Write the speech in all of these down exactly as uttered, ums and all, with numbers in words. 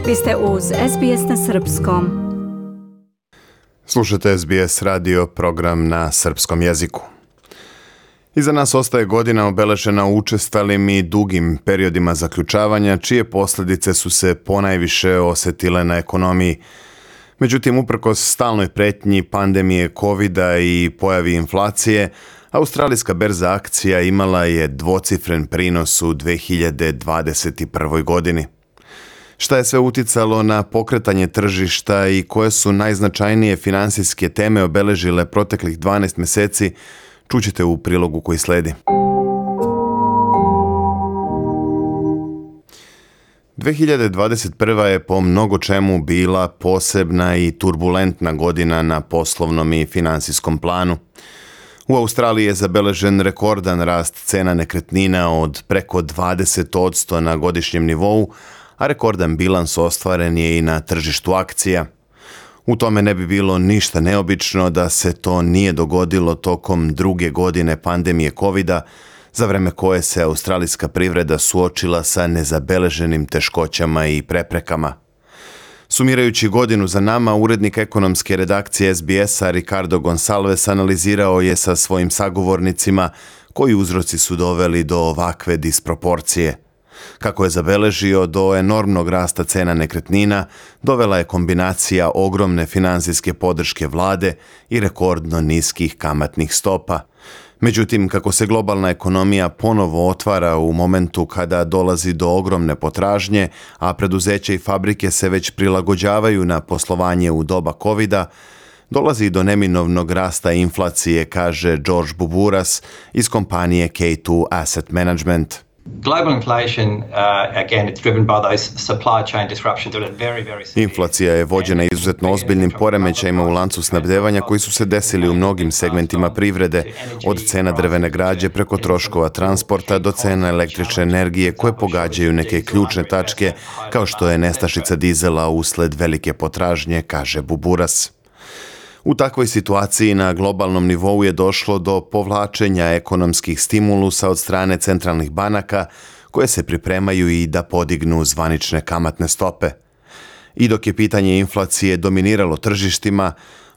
Vi ste uz S B S na srpskom. Slušate S B S radio, program na srpskom jeziku. Iza nas ostaje godina obeležena učestalim i dugim periodima zaključavanja, čije posljedice su se ponajviše osetile na ekonomiji. Međutim, uprkos stalnoj pretnji pandemije kovida i pojavi inflacije, australijska berza akcija imala je dvocifren prinos u dve hiljade dvadeset prve. godini. Šta je sve uticalo na pokretanje tržišta i koje su najznačajnije finansijske teme obeležile proteklih dvanaest mjeseci, čućete u prilogu koji sledi. dve hiljade dvadeset prva. je po mnogo čemu bila posebna i turbulentna godina na poslovnom i finansijskom planu. U Australiji je zabeležen rekordan rast cena nekretnina od preko dvadeset posto na godišnjem nivou, a rekordan bilans ostvaren je i na tržištu akcija. U tome ne bi bilo ništa neobično da se to nije dogodilo tokom druge godine pandemije kovida, za vreme koje se australijska privreda suočila sa nezabeleženim teškoćama i preprekama. Sumirajući godinu za nama, urednik ekonomske redakcije S B S-a Ricardo Gonsalves analizirao je sa svojim sagovornicima koji uzroci su doveli do ovakve disproporcije. Kako je zabeležio, do enormnog rasta cena nekretnina dovela je kombinacija ogromne finansijske podrške vlade i rekordno niskih kamatnih stopa. Međutim, kako se globalna ekonomija ponovo otvara u momentu kada dolazi do ogromne potražnje, a preduzeća i fabrike se već prilagođavaju na poslovanje u doba kovida, dolazi do neminovnog rasta inflacije, kaže George Buburas iz kompanije K dva Asset Management. Global inflation, uh, again, it's driven by those supply chain disruptions that are very, very severe. Inflacija je vođena izuzetno ozbiljnim poremećajima u lancu snabdevanja koji su se desili u mnogim segmentima privrede, od cena drvene građe preko troškova transporta do cena električne energije koje pogađaju neke ključne tačke, kao što je nestašica dizela usled velike potražnje, kaže Buburas. U takvoj situaciji na globalnom nivou je došlo do povlačenja ekonomskih stimulusa od strane centralnih banaka koje se pripremaju i da podignu zvanične kamatne stope. I dok je pitanje inflacije dominiralo tržištima,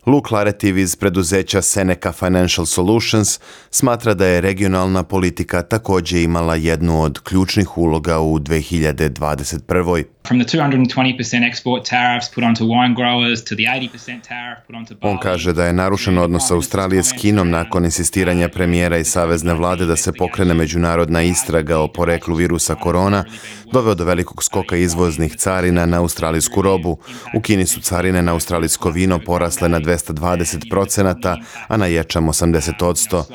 Luke Laretiv iz preduzeća Seneca Financial Solutions smatra da je regionalna politika također imala jednu od ključnih uloga u dve hiljade dvadeset prve. From the two hundred twenty percent export tariffs put onto wine growers to the eighty percent tariff put onto barley. On kaže da je narušen odnos Australije s Kinom nakon insistiranja premijera i savezne vlade da se pokrene međunarodna istraga o poreklu virusa korona, doveo do velikog skoka izvoznih carina na australijsku robu. U Kini su carine na australijsko vino porasle na dvesta dvadeset procenata, a na ječam osamdeset posto.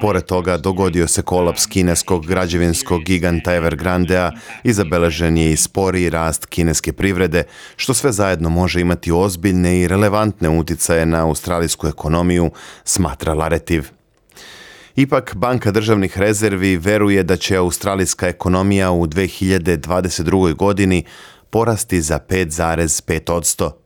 Pored toga dogodio se kolaps kineskog građevinskog giganta Evergrandea i zabeležen je i sporiji rast kineske privrede, što sve zajedno može imati ozbiljne i relevantne uticaje na australijsku ekonomiju, smatra Laretiv. Ipak, Banka državnih rezervi veruje da će australijska ekonomija u dve hiljade dvadeset druge. godini porasti za pet zarez pet posto.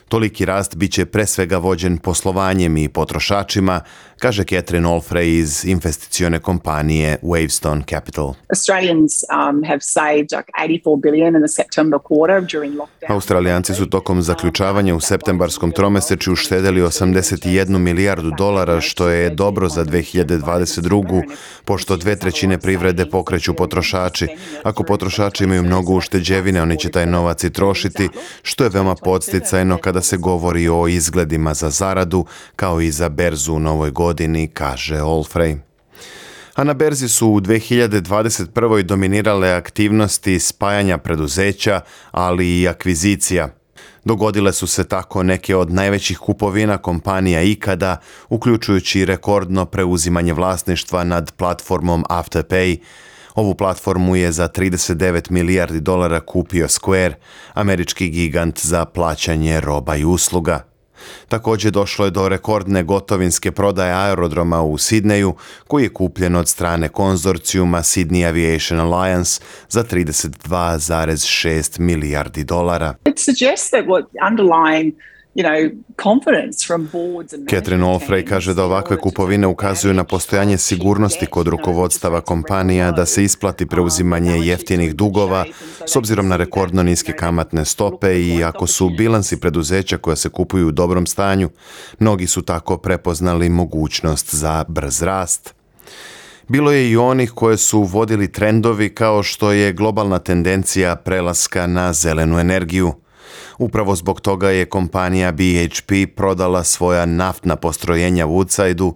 Toliki rast biće pre svega vođen poslovanjem i potrošačima, kaže Catherine Olfrey iz investicione kompanije Wavestone Capital. Australians um, have saved like eighty-four billion in the September quarter during lockdown. Australijanci su tokom zaključavanja u septembarskom tromesečju uštedeli osamdeset jednu milijardu dolara, što je dobro za dve hiljade dvadeset drugu. pošto dve trećine privrede pokreću potrošači. Ako potrošači imaju mnogo ušteđevine, oni će taj novac i trošiti, što je veoma podsticajno kada se govori o izgledima za zaradu, kao i za berzu u novoj godini, kaže Olfrey. A na berzi su u dve hiljade dvadeset prve. dominirale aktivnosti spajanja preduzeća, ali i akvizicija. Dogodile su se tako neke od najvećih kupovina kompanija ikada, uključujući rekordno preuzimanje vlasništva nad platformom Afterpay. Ovu platformu je za trideset devet milijardi dolara kupio Square, američki gigant za plaćanje roba i usluga. Također došlo je do rekordne gotovinske prodaje aerodroma u Sidneju, koji je kupljen od strane konzorcijuma Sydney Aviation Alliance za trideset dva zarez šest milijardi dolara. It suggests that what underlying you know, confidence from boards and Catherine management Allfrey teams kaže da in ovakve order to kupovine take ukazuju na advantage postojanje of sigurnosti cheap kod debt, you know, rukovodstava interest rates kompanija da se isplati preuzimanje Um, jeftinih dugova s obzirom na rekordno niske kamatne stope i ako su bilansi preduzeća koja se kupuju u dobrom stanju, mnogi su tako prepoznali mogućnost za brz rast. Bilo je i onih koje su vodili trendovi kao što je globalna tendencija prelaska na zelenu energiju. Upravo zbog toga je kompanija B H P prodala svoja naftna postrojenja u Woodsideu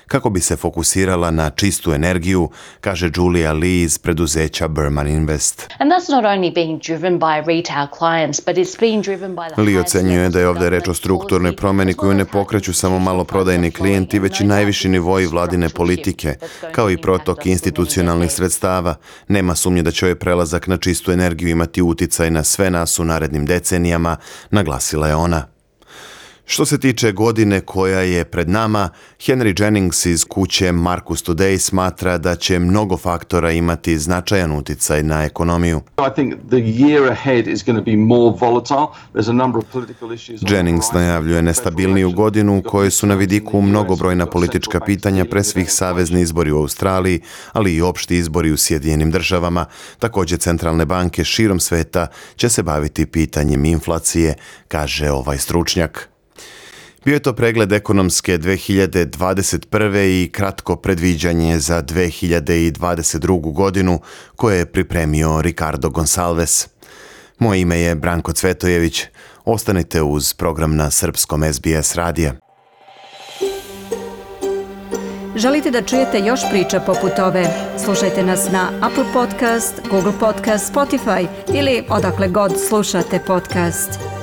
kako bi se fokusirala na čistu energiju, kaže Julia Lee iz preduzeća Berman Invest. And that's not only being driven by retail clients, but it's being driven by the Lee ocenjuje da je ovdje reč o strukturnoj promjeni koju ne pokreću samo maloprodajni klijenti, već i najviši nivoji vladine politike, kao i protok institucionalnih sredstava. Nema sumnje da će ovaj prelazak na čistu energiju imati uticaj na sve nas u narednim decenijama, naglasila je ona. Što se tiče godine koja je pred nama, Henry Jennings iz kuće Marcus Today smatra da će mnogo faktora imati značajan uticaj na ekonomiju. Jennings najavljuje nestabilniju godinu u kojoj su na vidiku mnogobrojna politička pitanja, pre svih savezni izbori u Australiji, ali i opšti izbori u Sjedinjenim državama. Također centralne banke širom sveta će se baviti pitanjem inflacije, kaže ovaj stručnjak. Bio je to pregled ekonomske dve hiljade dvadeset prve i kratko predviđanje za dve hiljade dvadeset drugu godinu koje je pripremio Ricardo Gonsalves. Moje ime je Branko Cvetojević. Ostanite uz program na srpskom S B S radija. Želite da čujete još priča poput ove? Slušajte nas na Apple Podcast, Google Podcast, Spotify ili odakle god slušate podcast.